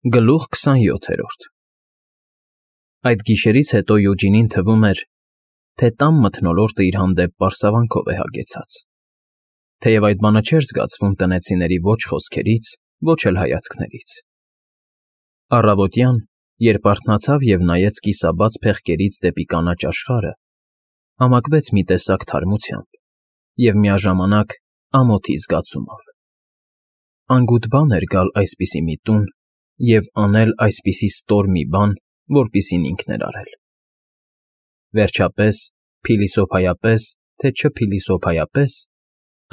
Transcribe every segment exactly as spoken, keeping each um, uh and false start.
Գլուխ քսանյոթերորդ Այդ գիշերից հետո Յուջինին թվում էր, թե տան մթնոլորտը իր հանդեպ պարսավանքով է հագեցած, թեև այդ բանը չէր զգացվում տնեցիների ոչ խոսքերից, ոչ էլ հայացքներից։ Առավոտյան, երբ արթնացավ և նայեց կիսաբաց փեղկերից դեպի կանաչ աշխարհը, համակվեց մի տեսակ թարմությամբ և միաժամանակ ամոթի զգացումով։ Անգութ բան էր գալ այսպիսի մի տուն և անել այսպիսի ստոր մի բան, որպիսին ինքն էր արել։ Վերջապես, փիլիսոփայապես, թե չփիլիսոփայապես,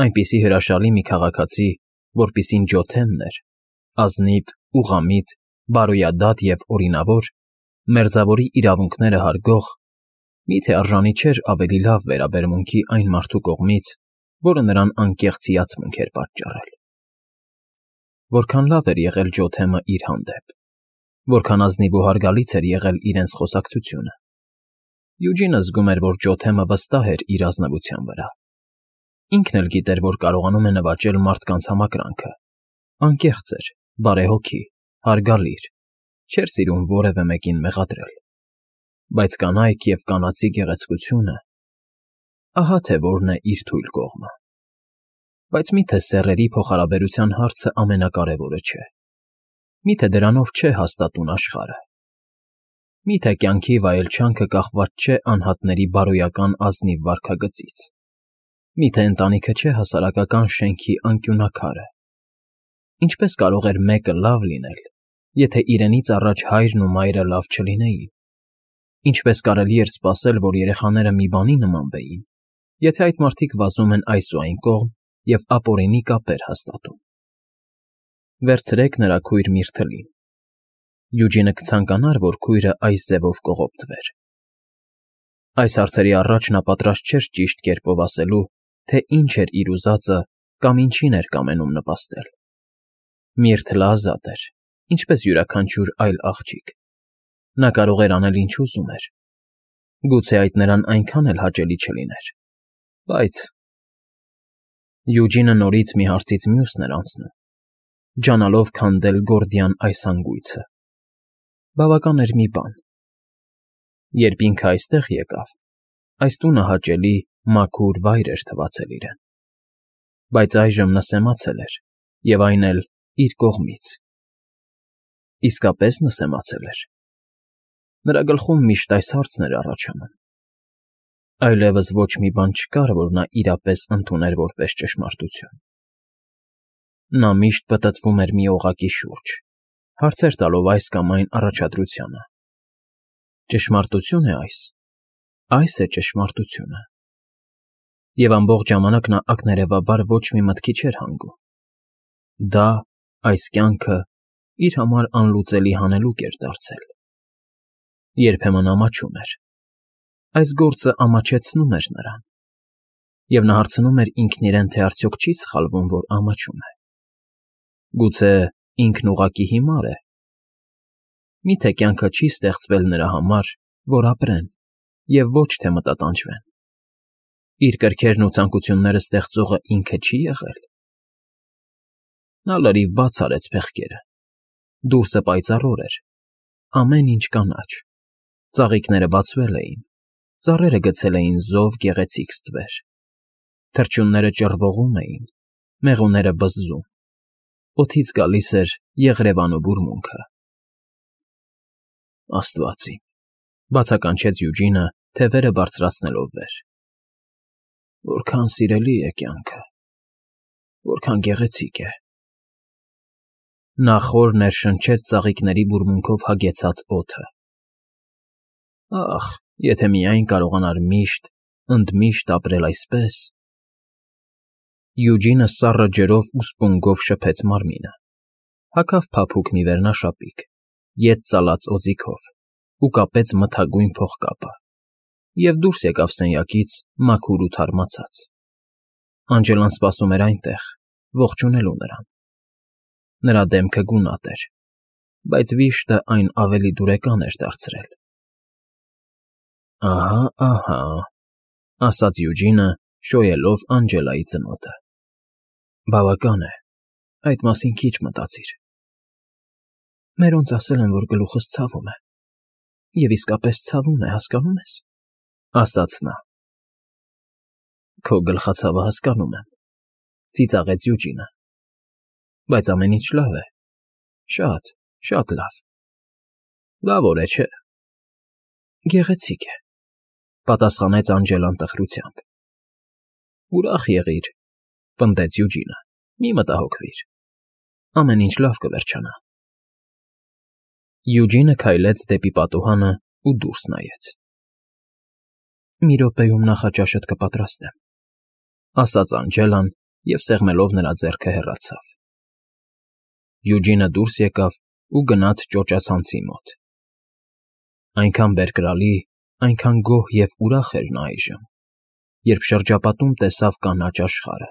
այնպիսի հրաշալի մի քաղաքացի, որպիսին Ջոթենն էր, ազնիվ, ուղղամիտ, բարոյադատ և օրինավոր, մերձավորի իրավունքները հարգող, մի՞թե արժանի չէր ավելի լավ վերաբերմունքի այն մարդու կողմից, որը նրան անկեղծ հիացմունք էր պատճառել։ Որքան լավ էր եղել Ջոթեմը իր հանդեպ, որքան ազնիվ ու հարգալից էր եղել իրենց խոսակցությունը։ Յուջինը զգում էր, որ Ջոթեմը վստահ էր իր ազնվության վրա։ Ինքն էլ գիտեր, որ կարողանում է նվաճել մարդկանց համակրանքը, անկեղծ էր, բարեհոգի, հարգալիր, չէր սիրում որևէ մեկին մեղադրել։ Բայց կանայք և կանացի գեղեցկությունը… ահա թե որն է իր թույլ կողմը։ Բայց մի՞թե սեռերի փոխհարաբերության հարցը ամենակարևորը չէ։ Մի՞թե դրանով չէ հաստատուն աշխարհը։ Մի՞թե կյանքի վայելչանքը կախված չէ անհատների բարոյական ազնիվ վարքագծից։ Մի՞թե ընտանիքը չէ հասարակական շենքի անկյունաքարը։ Ինչպե՞ս կարող էր մեկը լավ լինել, եթե իրենից առաջ հայրն ու մայրը լավ չլինեին։ Ինչպե՞ս կարելի էր սպասել, որ երեխաները մի բանի նմանվեին, եթե այդ մարդիկ վազում են այս ու այն կողմ և ապօրինի կապեր հաստատում։ Վերցրեք նրա քույր Միրթլին։ Յուջինը կցանկանար, որ քույրը այս ձևով կողոպտվեր։ Այս հարցերի առաջ նա պատրաստ չէր ճիշտ կերպով ասելու, թե ինչ էր իր ուզածը կամ ինչին էր կամենում նպաստել։ Միրթլը ազատ էր, ինչպես յուրաքանչյուր այլ աղջիկ։ Նա կարող էր անել, ինչ ուզում էր։ Գուցե այդ նրան այնքան էլ հաճելի չլիներ, բայց… Յուջինը նորից մի հարցից մյուսն էր անցնում, ջանալով քանդել գորդիան այս հանգույցը։ Բավական էր մի բան. երբ ինքը այստեղ եկավ, այս տունը հաճելի, մաքուր վայր էր թվացել իրեն։ Բայց այժմ նսեմացել էր, և այն էլ իր կողմից։ Իսկապես նսեմացել էր։ Նրա գլխում միշտ այս հարցն էր առաջանում։ Այլևս ոչ մի բան չկար, որ նա իրապես ընդուներ որպես ճշմարտություն։ Նա միշտ պտտվում էր մի օղակի շուրջ, հարցեր տալով այս կամ այն առաջադրությանը։ Ճշմարտություն է այս, այս է ճշմարտությունը։ Եվ ամբողջ ժամանակ նա ակներևաբար ոչ մի մտքի չէր հանգում։ Դա, այս կյանքը, իր համար անլուծելի հանելուկ էր դարձել։ Երբեմն ամաչում էր։ Այս գործը ամաչեցնում էր նրան։ Եվ նա հարցնում էր ինքն իրեն, թե արդյոք չի սխալվում, որ ամաչում է։ Գուցե ինքն ուղղակի հիմար է։ Մի՞թե կյանքը չի ստեղծվել նրա համար, որ ապրեն և ոչ թե մտատանջվեն։ Իր կրքերն ու ցանկությունները ստեղծողը ինքը չի՞ եղել։ Նա լրիվ բաց արեց փեղկերը։ Դուրսը պայծառոր էր, ամեն ինչ կանաչ, ծաղիկները բացվել էին, ծառերը գցել էին զով գեղեցիկ ստվեր, թռչունները ճռվողում էին, մեղուները բզզում, օդից գալիս էր եղրևանու բուրմունքը։ Աստված իմ, բացականչեց Յուջինը, թևերը բարձրացնելով վեր։ Որքան սիրելի է կյանքը, որքան գեղեցիկ է։ Նա խոր ներշնչեց ծաղիկների բուրմունքով հագեցած օդը։ Ախ, եթե միայն կարողանար միշտ, ընդմիշտ ապրել այսպես… Յուջինը սառը ջրով ու սպունգով շփեց մարմինը, հագավ փափուկ մի վերնաշապիկ, ետ ծալած օձիքով ու կապեց մթագույն փողկապը և դուրս եկավ սենյակից մաքուր ու թարմացած։ Անջելան սպասում էր այնտեղ, ողջունելու նրան։ Նրա դեմքը գունատ էր, բայց վիշտը այն ավելի դուրեկան էր դարձրել։ Ահա, ահա, ասաց Յուջինը, շոյելով Անջելայի ծնոտը։ Բավական է, այդ մասին քիչ մտածիր։ Մերոնց ասել են, որ գլուխս ցավում է, և իսկապես ցավում է, հասկանո՞ւմ ես, ասաց նա։ Քո գլխացավը հասկանում եմ, ծիծաղեց Յուջինը, բայց ամեն ինչ լավ է, շատ, շատ լավ։ Լավ օր է, չէ՞։ Գեղեցիկ է, պատասխանեց Անջելան տխրությամբ։ Ուրախ եղիր, պնդեց Յուջինը, մի մտահոգվիր, ամեն ինչ լավ կվերջանա։ Յուջինը քայլեց դեպի պատուհանը ու դուրս նայեց։ Մի րոպեում նախաճաշդ կպատրաստեմ, ասաց Անջելան և սեղմելով նրա ձեռքը հեռացավ։ Յուջինը դուրս եկավ ու գնաց ճոճացանցի մոտ։ Այնքան բերկրալի, այնքան գոհ և ուրախ էր նա այժմ, երբ շրջապատում տեսավ կանաչ աշխարհը,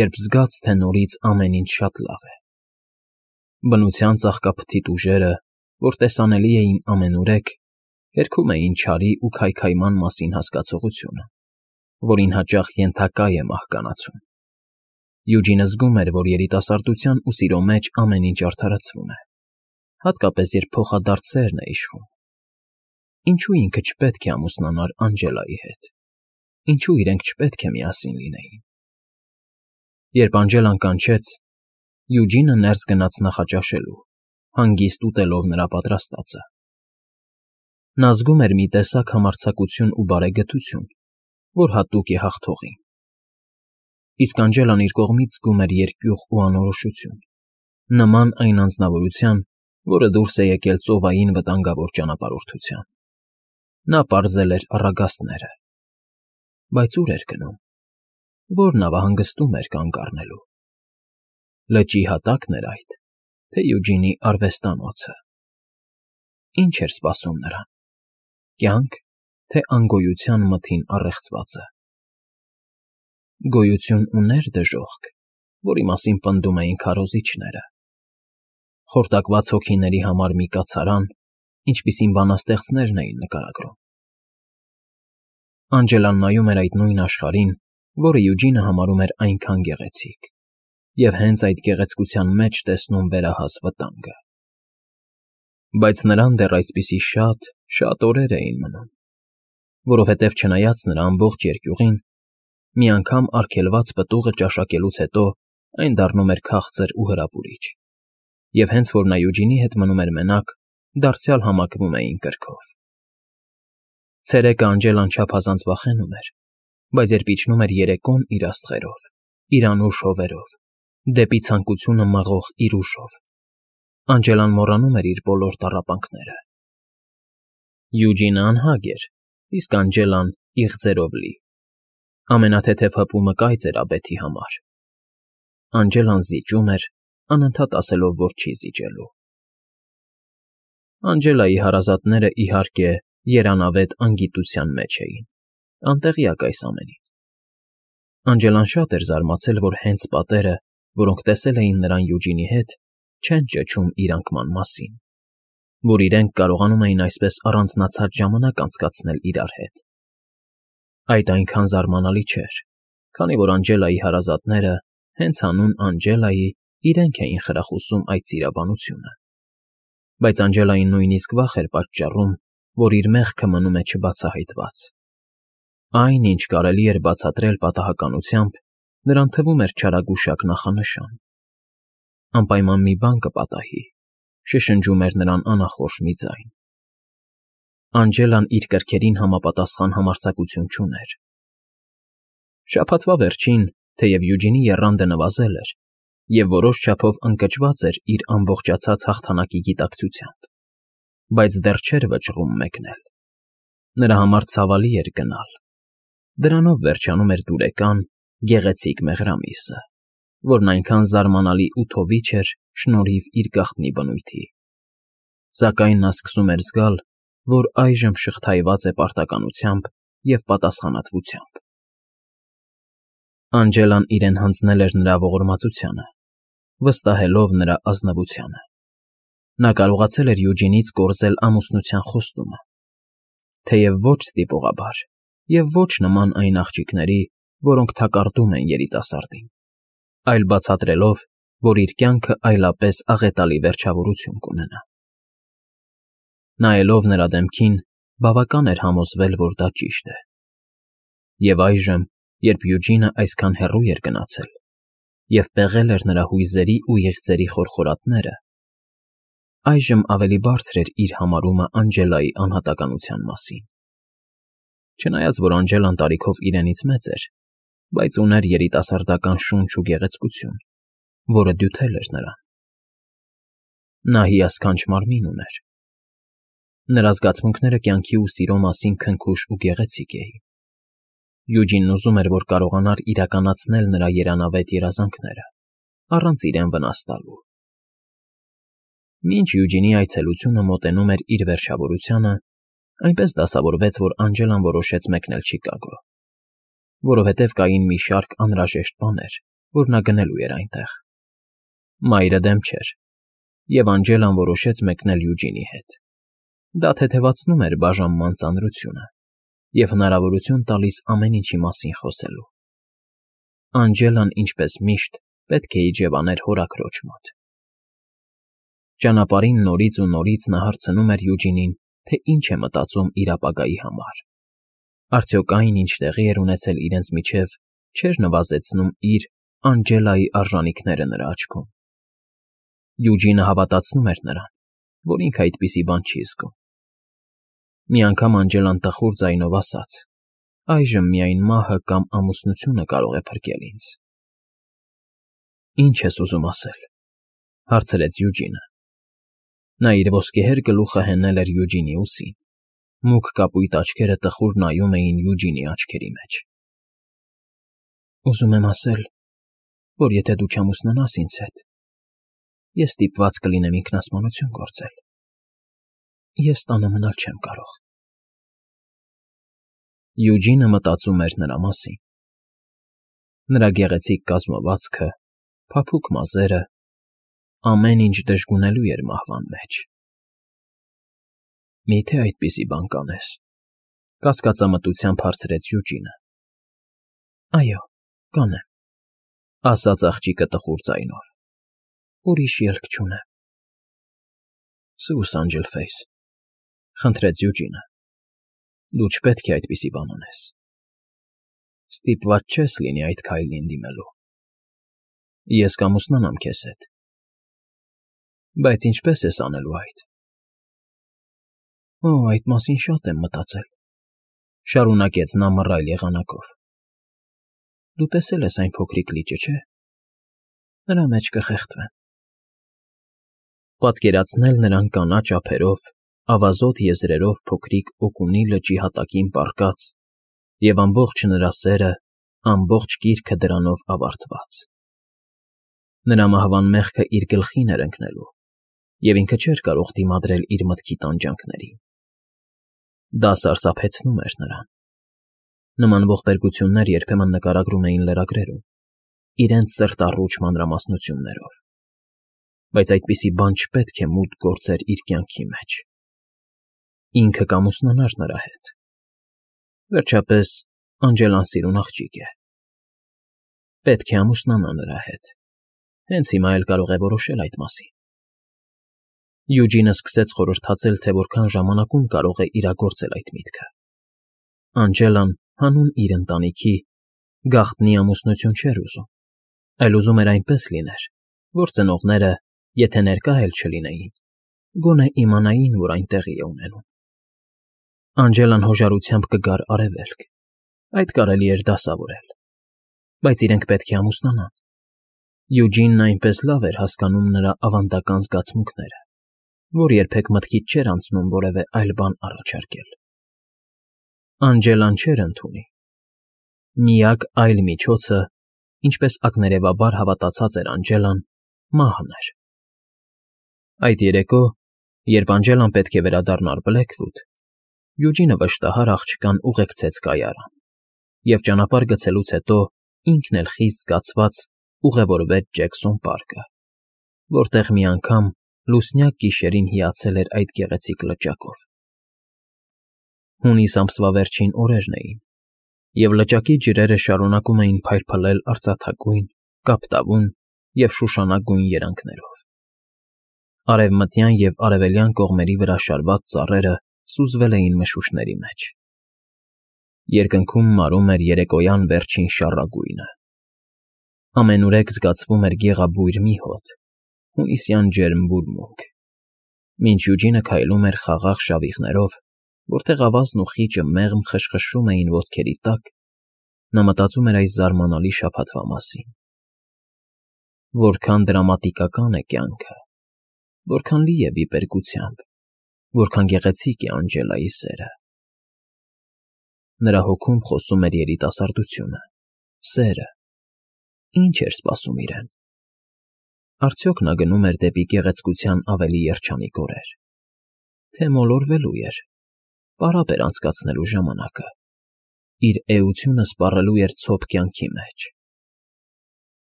երբ զգաց, թե նորից ամեն ինչ շատ լավ է։ Բնության ծաղկափթիթ ուժերը, որ տեսանելի էին ամենուրեք, հերքում էին չարի ու քայքայման մասին հասկացողությունը, որին հաճախ ենթակա է մահկանացուն։ Յուջինը զգում էր, որ երիտասարդության ու սիրո մեջ ամեն ինչ արդարացվում է, հատկապես երբ փոխադարձ սերն է իշխում։ Ինչու ինքը չպետք է ամուսնանար Անջելայի հետ, ինչու իրենք չպետք է միասին լինեին։ Երբ Անջելան կանչեց, Յուջինը ներս գնաց նախաճաշելու, հանգիստ ուտելով նրա պատրաստածը։ Նա զգում էր մի տեսակ համարձակություն ու բարեգթություն, որ հատուկ է հաղթողին։ Իսկ Անջելան իր կողմից զգում էր երկյուղ ու անորոշություն, նման այն անձնավորության, որը դուրս է եկել ծովային վտանգավոր ճանապարհորդության։ Նա պարզել էր առագաստները, բայց ուր էր գնում, որ նավահանգստում էր կանգ առնելու։ Լճի հատա՞կն էր այդ, թե Յուջինի արվեստանոցը։ Ինչ էր սպասում նրան, կյանք, թե անգոյության մթին առեղծվածը։ Գոյություն ուներ դժոխք, որի մասին պնդում էին քարոզիչները։ Խորտակված հոգիների համար մի կացարան, ինչպիսին բանաստեղծներն էին նկարագրում։ Անջելան նայում էր այդ նույն աշխարհին, որը Յուջինը համարում էր այնքան գեղեցիկ, և հենց այդ գեղեցկության մեջ տեսնում վերահաս վտանգը։ Բայց նրան դեռ այսպիսի շատ, շատ օրեր էին մնում, որովհետև չնայած նրա ամբողջ երկյուղին, մի անգամ արգելված պտուղը ճաշակելուց հետո այն դառնում էր քաղցր ու հրապուրիչ, և հենց որ նա Յուջինի հետ մնում էր մենակ, դարձյալ համակվում էին կրքով։ Ցերեկը Անջելան չափազանց վախենում էր, բայց երբ իջնում էր երեկոն իր աստղերով, իր անուշ հովերով, դեպի ցանկությունը մղող իր ուժով, Անջելան մոռանում էր իր բոլոր տառապանքները։ Յուջինը անհագ էր, իսկ Անջելան իղձերով լի։ Ամենաթեթև հպումը կայծ էր աբեթի համար։ Անջելան զիջում էր, անընդհատ ասելով, որ չի զիջելու։ Անջելայի հարազատները, իհարկե, երանավետ անգիտության մեջ էին, անտեղյակ այս ամենին։ Անջելան շատ էր զարմացել, որ հենց պատերը, որոնք տեսել էին նրան Յուջինի հետ, չեն ճչում իր անկման մասին, որ իրենք կարողանում էին այսպես առանձնացած ժամանակ անցկացնել իրար հետ։ Այդ այնքան զարմանալի չէր, քանի որ Անջելայի հարազատները, հենց հանուն Անջելայի, իրենք էին խրախուսում այդ սիրաբանությունը։ Բայց Անջելային նույնիսկ վախ էր պատճառում, որ իր մեղքը մնում է չբացահայտված։ Այն, ինչ կարելի էր բացատրել պատահականությամբ, նրան թվում էր չարագուշակ նախանշան։ Անպայման մի բան կպատահի, շշնջում էր նրան անախորժ մի ձայն։ Անջելան իր կրքերին համապատասխան համարձակություն չուներ։ Շաբաթվա վերջին, թեև Յուջինի եռանդը նվազել էր, և որոշ չափով ընկճված էր իր ամբողջացած հաղթանակի գիտակցությամբ, բայց դեռ չէր վճռում մեկնել։ Նրա համար ցավալի էր գնալ։ Դրանով վերջանում էր դուրեկան, գեղեցիկ մեղրամիսը, որն այնքան զարմանալի ու թովիչ էր շնորհիվ իր գաղտնի բնույթի։ Սակայն նա սկսում էր զգալ, որ այժմ շղթայված է պարտականությամբ և պատասխանատվությամբ։ Անջելան իրեն հանձնել էր նրա ողորմածությանը, վստահելով նրա ազնվությանը։ Նա կարողացել էր Յուջինից կորզել ամուսնության խոստումը, թեև ոչ ստիպողաբար և ոչ նման այն աղջիկների, որոնք թակարդում են երիտասարդին, այլ բացատրելով, որ իր կյանքը այլապես աղետալի վերջավորություն կունենա։ Նայելով նրա դեմքին, բավական էր համոզվել, որ դա ճիշտ է։ Եվ այժմ, երբ Յուջինը այսքան հեռու էր գնացել և պեղել էր նրա հույզերի ու եղծերի խորխորատները, այժմ ավելի բարձր էր իր համարումը Անջելայի անհատականության մասին։ Չնայած որ Անջելան տարիքով իրենից մեծ էր, բայց ուներ երիտասարդական շունչ ու գեղեցկություն, որը դյութել էր նրան։ Նա հիասքանչ մարմին ուներ։ Նրա զգացմունքները կյանքի ու սիրո մասին քնքուշ ու գեղեցիկ էին։ Յուջինն ուզում էր, որ կարողանար իրականացնել նրա երանավետ երազանքները, առանց իրեն վնաս տալու։ Մինչ Յուջինի այցելությունը մոտենում էր իր վերջավորությանը, այնպես դասավորվեց, որ Անջելան որոշեց մեկնել Չիկագո, որովհետև կային մի շարք անհրաժեշտ բաներ, որ նա գնելու էր այնտեղ։ Մայրը դեմ չէր, և Անջելան որոշեց մեկնել Յուջինի հետ։ Դա թեթևացնում էր բաժանման ծանրությունը և հնարավորություն տալիս ամեն ինչի մասին խոսելու։ Անջելան, ինչպես միշտ, պետք է իջևաներ հորաքրոջ մոտ։ Ճանապարհին նորից ու նորից նա հարցնում էր Յուջինին, թե ինչ է մտածում իր ապագայի համար։ Արդյոք այն, ինչ տեղի էր ունեցել իրենց միջև, չէր նվազեցնում իր, Անջելայի արժանիքները նրա աչքում։ Յուջինը հավատացնում էր նրան, որ ինքը այդպիսի բան չի զգում։ Մի անգամ Անջելան տխուր ձայնով ասաց. «Այժմ միայն մահը կամ ամուսնությունը կարող է փրկել ինձ»։ «Ինչ ես ուզում ասել», հարցրեց Յուջինը։ Նա իր ոսկեհեր գլուխը հենել էր Յուջինի ուսին, մուգ կապույտ աչքերը տխուր նայում էին Յուջինի աչքերի մեջ։ «Ուզում եմ ասել, որ եթե դու չամուսնանաս ինձ հետ, ես ստիպված կլինեմ ինքնասպանություն գործել։ Ես տանը մնալ չեմ կարող»։ Յուջինը մտածում էր նրա մասին։ Նրա գեղեցիկ կազմվածքը, փափուկ մազերը, ամեն ինչ դժգունելու էր մահվան մեջ։ «Մի՞թե այդպիսի բան կանես», կասկածամտությամբ հարցրեց Յուջինը։ «Այո, կանեմ», ասաց աղջիկը տխուր ձայնով։ «Ուրիշ ելք չունեմ»։ «Սուս, Անգելֆեյս», խնդրեց Յուջինը, «դու չպետք է այդպիսի բան անես։ Ստիպված չես լինի այդ քայլին դիմելու։ Ես կամուսնանամ քեզ հետ։ Բայց ինչպե՞ս ես անելու այդ»։ «Օ, այդ մասին շատ եմ մտածել», շարունակեց նա մռայլ եղանակով։ «Դու տեսել ես այն փոքրիկ լիճը, չէ՞։ Նրա մեջ կխեղդվեմ»։ Պատկերացնել նրան կանաչ ափերով, ավազոտ եզրերով փոքրիկ Օկունի լճի հատակին պառկած և ամբողջ նրա սերը, ամբողջ կիրքը դրանով ավարտված։ Նրա մահվան մեղքը իր գլխին էր ընկնելու, և ինքը չէր կարող դիմադրել իր մտքի տանջանքներին։ Դա սարսափեցնում էր նրան։ Նման ողբերգություններ երբեմն նկարագրում էին լրագրերում, իրենց սրտառուչ մանրամասնություններով։ Բայց այդպիսի բան չպետք է մուտք գործեր իր կյանքի մեջ։ Ինքը կամուսնանար նրա հետ։ Վերջապես, Անջելան սիրուն աղջիկ է։ Պետք է ամուսնանա նրա հետ։ Հենց հիմա էլ կարող է որոշել այդ մասին։ Յուջինը սկսեց խորհրդածել, թե որքան ժամանակում կարող է իրագործել այդ միտքը։ Անջելան, հանուն իր ընտանիքի, գաղտնի ամուսնություն չէր ուզում, այլ ուզում էր այնպես լիներ, որ ծնողները, եթե ներկա էլ չլինեին, գոնե իմանային, որ այն տեղի է ունենում։ Անջելան հոժարությամբ կգար արևելք, այդ կարելի էր դասավորել, բայց իրենք պետք է ամուսնանան։ Յուջինն այնպես լավ էր հասկանում նրա ավանդական զգացմունքները, որ երբեք մտքից չէր անցնում որևէ այլ բան առաջարկել։ Անջելան չէր ընդունի։ Միակ այլ միջոցը, ինչպես ակներևաբար հավատացած էր Անջելան, մահն էր։ Այդ երեկո, երբ Անջելան պետք է վերադառնար Բլեքվուդ, Յուջինը վշտահար աղջկան ուղեկցեց կայարան, և ճանապարհ գցելուց հետո ինքն էլ խիստ զգացված ուղևորվեց Ջեքսոն պարկը, որտեղ մի անգամ լուսնյակ գիշերին հիացել էր այդ գեղեցիկ լճակով։ Հունիս ամսվա վերջին օրերն էին, և լճակի ջրերը շարունակում էին փայլփլել արծաթագույն, կապտավուն և շուշանագույն երանգներով։ Արևմտյան և արևելյան կողմերի վրա շարված ծառերը սուզվել էին մշուշների մեջ։ Երկնքում մարում էր երեկոյան վերջին շառագույնը։ Ամենուրեք զգացվում էր գեղաբույր մի հոտ, հունիսյան ջերմ բուրմունք։ Մինչ Յուջինը քայլում էր խաղաղ շավիղներով, որտեղ ավազն ու խիճը մեղմ խշխշում էին ոտքերի տակ, նա մտածում էր այս զարմանալի շաբաթվա մասին. որքան դրամատիկական է կյանքը, որքան լի է վիպերգությամբ, որքան գեղեցիկ է Անջելայի սերը։ Նրա հոգում խոսում էր երիտասարդությունը, սերը։ Ինչ էր սպասում իրեն։ Արդյոք նա գնում էր դեպի գեղեցկության ավելի երջանիկ օրեր, թե մոլորվելու էր, պարապ էր անցկացնելու ժամանակը, իր էությունը սպառելու էր ցոփ կյանքի մեջ։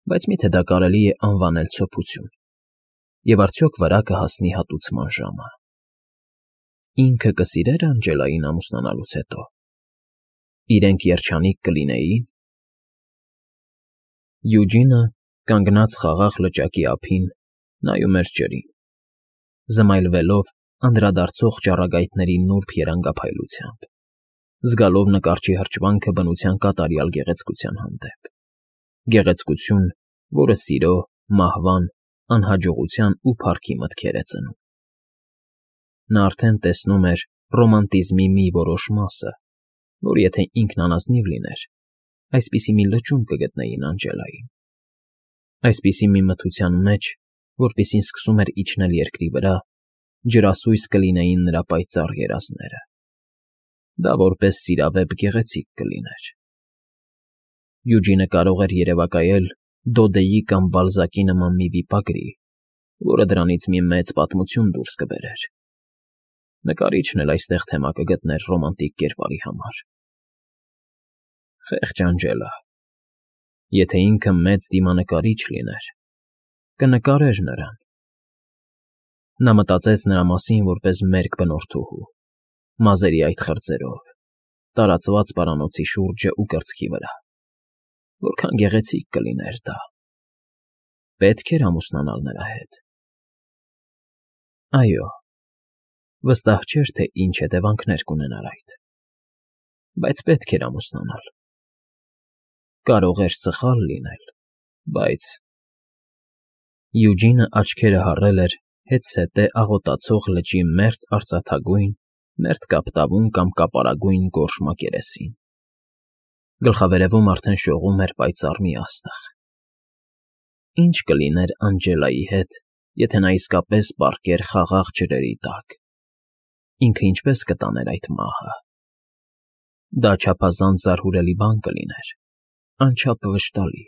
Բայց միթե դա կարելի է անվանել ցոփություն, և արդյոք վրա կհասնի հատուցման ժամը։ Ինքը կսիրե՞ր Անջելային ամուսնանալուց հետո։ Իրենք երջանիկ կլինեի՞ն։ Յուջինը, կանգնած խաղաղ լճակի ափին, նայում էր ջրին, զմայլվելով անդրադարձող ճառագայթների նուրբ երանգափայլությամբ, զգալով նկարչի հրճվանքը բնության կատարյալ գեղեցկության հանդեպ։ Գեղեցկություն, որը սիրո, մահվան, անհաջողության ու փառքի մտքեր է ծնում։ Նա արդեն տեսնում էր ռոմանտիզմի մի որոշ մասը, որ եթե ինքն անազնիվ լիներ, այսպիսի մի լճում կգտնեին Անջելային։ Այսպիսի մի մթության մեջ, որպիսին սկսում էր իջնել երկրի վրա, ջրասույս կլինեին նրա պայծառ երազները։ Դա որպես սիրավեպ գեղեցիկ կլիներ։ Յուջինը կարող էր երևակայել Դոդեի կամ Բալզակի նման մի վիպագրի, որը դրանից մի մեծ պատմություն դուրս կբերեր։ Նկարիչն էլ այստեղ թեմա կգտներ ռոմանտիկ կերպարի համար։ Խեղճ Անջելա։ Եթե ինքը մեծ դիմանկարիչ լիներ, կնկարեր նրան։ Նա մտածեց նրա մասին որպես մերկ բնորդուհու, մազերի այդ խրձերով, տարածված պարանոցի շուրջը ու կրծքի վրա։ Որքան գեղեցիկ կլիներ դա։ Պետք էր ամուսնանալ նրա հետ։ Այո, վստահ չէր, թե ինչ հետևանքներ կունենար այդ։ Բայց պետք էր ամուսնանալ։ Կարող էր սխալ լինել, բայց… Յուջինը աչքերը հառել էր հետզհետե աղոտացող լճի մերթ արծաթագույն, մերթ կապտավուն կամ կապարագույն գորշ մակերեսին։ Գլխավերևում արդեն շողում էր պայծառ մի աստղ։ Ինչ կլիներ Անջելայի հետ, եթե նա իսկապես պառկեր խաղաղ ջրերի տակ։ Ինքը ինչպես կտաներ այդ մահը։ Դա չափազանց զարհուրելի բան կլիներ, անչափ վշտալի։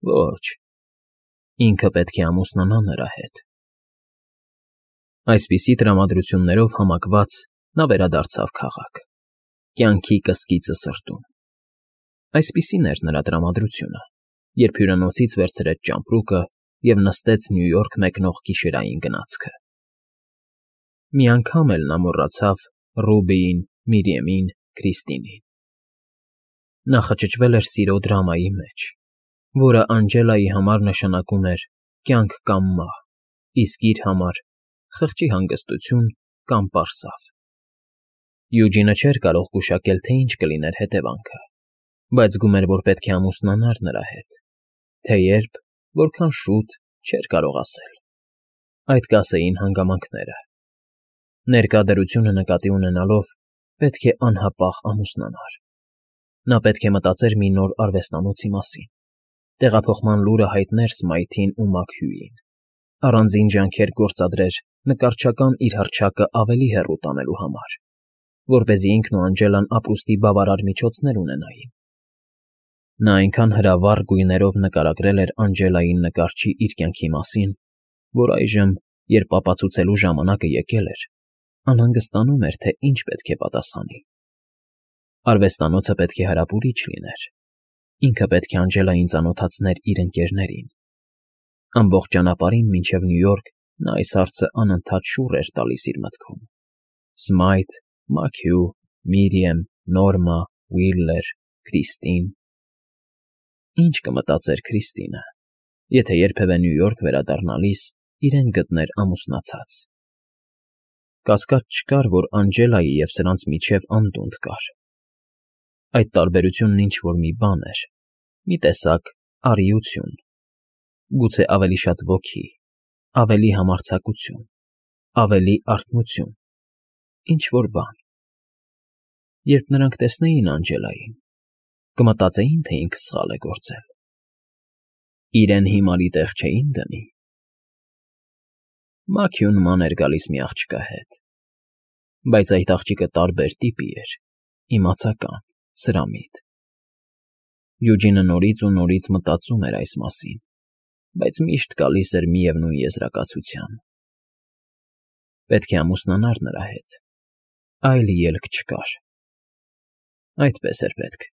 Ոչ, ինքը պետք է ամուսնանա նրա հետ։ Այսպիսի տրամադրություններով համակված նա վերադարձավ քաղաք, կյանքի կսկիծը սրտում։ Այսպիսին էր նրա տրամադրությունը, երբ հյուրանոցից վերցրեց ճամպրուկը և նստեց Նյու Յորք մեկնող գիշերային գնացքը։ Մի անգամ էլ նա մոռացավ Ռուբիին, Միրիեմին, Քրիստինին։ Նա խճճվել էր սիրո դրամայի մեջ, որը Անջելայի համար նշանակում էր կյանք կամ մահ, իսկ իր համար՝ խղճի հանգստություն կամ պարսավ։ Յուջինը չէր կարող գուշակել, թե ինչ կլիներ հետևանքը, բայց զգում էր, որ պետք է ամուսնանար նրա հետ, թե երբ, որքան շուտ, չէր կարող ասել։ Այդ կասեին հանգամանքները։ Ներկա դրությունը նկատի ունենալով պետք է անհապաղ ամուսնանար։ Նա պետք է մտածեր մի նոր արվեստանոցի մասին, տեղափոխման լուրը հայտներ Սմայթին ու Մաքհյուին, առանձին ջանքեր գործադրեր նկարչական իր հռչակը ավելի հեռու տանելու համար, որպեսզի ինքն ու Անջելան ապրուստի բավարար միջոցներ ունենային։ Նա այնքան հրավառ գույներով նկարագրել էր Անջելային նկարչի իր կյանքի մասին, որ այժմ, երբ ապացուցելու ժամանակը եկել էր, անհանգստանում էր, թե ինչ պետք է պատասխանի։ Արվեստանոցը պետք է հարապուրիչ լիներ։ Ինքը պետք է Անջելային ծանոթացներ իր ընկերներին։ Ամբողջ ճանապարհին մինչև Նյու Յորք նա այս հարցը անընդհատ շուռ էր տալիս իր մտքում. Սմայթ, Մաքհյու, Միրիեմ, Նորմա, Ուիլլեր, Քրիստին։ Ինչ կմտածեր Քրիստինը։ եթե երբևէ Նյու Յորք վերադառնալիս իրեն գտներ ամուսնացած։ Կասկած չկար, որ Անջելայի և սրանց միջև անդունդ կար։ Այդ տարբերությունն ինչ֊որ մի բան էր, մի տեսակ արիություն, գուցե ավելի շատ ոգի, ավելի համարձակություն, ավելի արթնություն, ինչ֊որ բան։ Երբ նրանք տեսնեին Անջելային, կմտածեին, թե ինքը սխալ է գործել, իրեն հիմարի տեղ չէին դնի։ Մաքիու նման էր գալիս մի աղջկա հետ, բայց այդ աղջիկը տարբեր տիպի էր, իմացական, սրամիտ։ Յուջինը նորից ու նորից մտածում էր այս մասին, բայց միշտ գալիս էր միևնույն եզրակացության. պետք է ամուսնանար նրա հետ, այլ ելք չկար։ Այդպես էր պետք։